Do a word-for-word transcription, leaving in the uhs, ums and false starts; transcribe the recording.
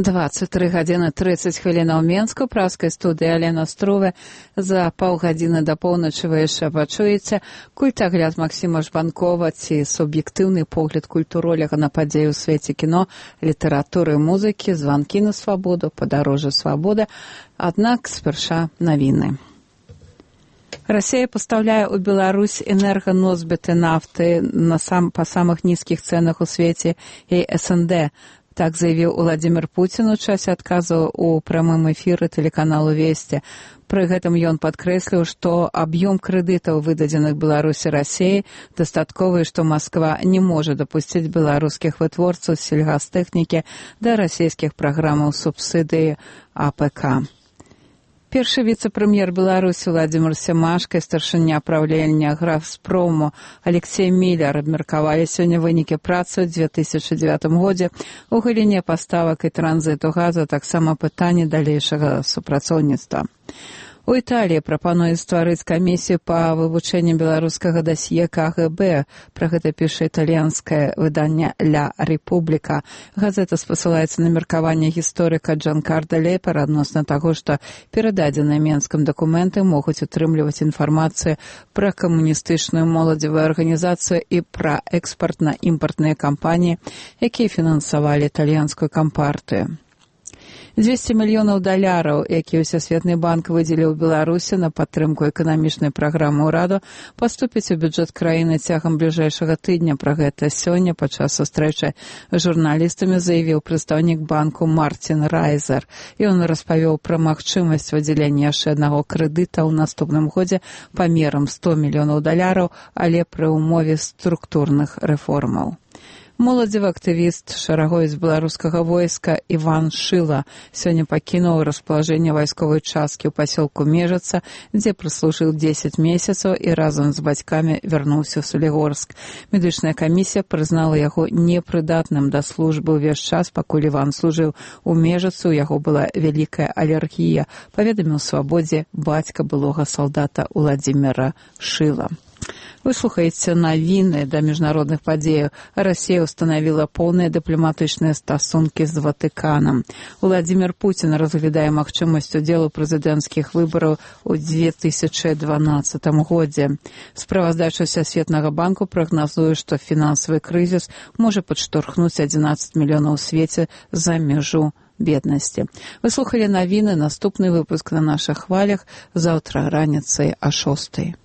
двадцать три гадзіны тридцать хвілінаў Менску, праскай студыі Алена Струве. За паўгадзіны да поўначы вы яшчэ пачуеце культагляд Максіма Жбанкова ці суб'ектыўны погляд культуролага на падзеі ў свеце кіно, літаратуры, музыкі, званкі на свабоду, падарожжа свабоды. Аднак спярша навіны. Расія пастаўляе ў Беларусь энерганосьбіты нафты на сам, па самых нізкіх цэнах у свеце і эс эн дэ. Так заявіў Владзімір Пуцін у часе адказу ў прамым эфіры тэлеканалу «Весці». Пры гэтым ён падкрэсліў, што аб'ём крэдытаў, выдадзеных Беларусі Расіяй, дастатковы, што Масква не можа дапусціць беларускіх вытворцаў сельгастэхнікі да расійскіх праграмаў субсідыі а пэ ка. Першы віцэ-прэм'ер Беларусі Владзімір Семашка і старшыня праўлення Графспрому Алексей Міллер абмеркавалі сёння вынікі працы ў дзве тысячы дзевятым годзе ў галіне паставак і транзіту газа, таксама пытанні далейшага супрацоўніцтва. У Італіі прапануюць стварыць камісію па вывучэнні беларускага дасье ка гэ бэ. Пра гэта піша італьянскае выданне «Ля Рэпубліка». Газета спасылаецца на меркаванне гісторыка Джанкарда Лепера адносна таго, што перададзеныя Менскам дакументы могуць утрымліваць інфармацыю пра камуністычную моладзевую арганізацыю і пра экспартна-імпартныя кампаніі, якія фінансавалі італьянскую кампартыю. дзвесце мільёнаў даляраў, якія Всесветны банк выдзеліў Беларусі на падтрымку эканамічнай праграмы ўраду, паступіць у бюджэт краіны цягам бліжэйшага тыдня. Пра гэта сёння падчас сустрэчы з журналістамі заявіў прадстаўнік банку Мартин Райзер. Ён распавёў пра магчымасць выдзялення яшчэ аднаго крэдыта ў наступным годзе памерам сто мільёнаў даляраў, але пры ўмове структурных рэформаў. Моладзевы актывіст шарагоец беларускага войска Іван Шыла сёння пакінуў распалажэнне вайсковай часткі ў пасёлку Межаца, дзе праслужыў дзесяць месяцаў і разам з бацькамі вярнуўся ў Салігорск. Медычная камісія прызнала яго непрыдатным да службы ўвесь час, пакуль Іван служыў у Межацы, у яго была вялікая алергія, паведаміў Свабодзе бацька былога салдата Владзіміра Шыла. Вы слухаеце навіны да міжнародных падзеяў. Расія устанавіла поўныя дыпламатычныя стасункі з Ватыканам. Владзімір Пуцін разглядае магчымасць удзелу прэзідэнцкіх выбараў у дзве тысячы дванаццатым годзе. Справаздача Всесветнага банку прагназуе, што фінансавы крызіс можа падштурхнуць адзінаццаць мільёнаў у свеце за мяжу беднасці. Вы слухалі навіны, наступны выпуск на нашых хвалях заўтра раніцай а шостай.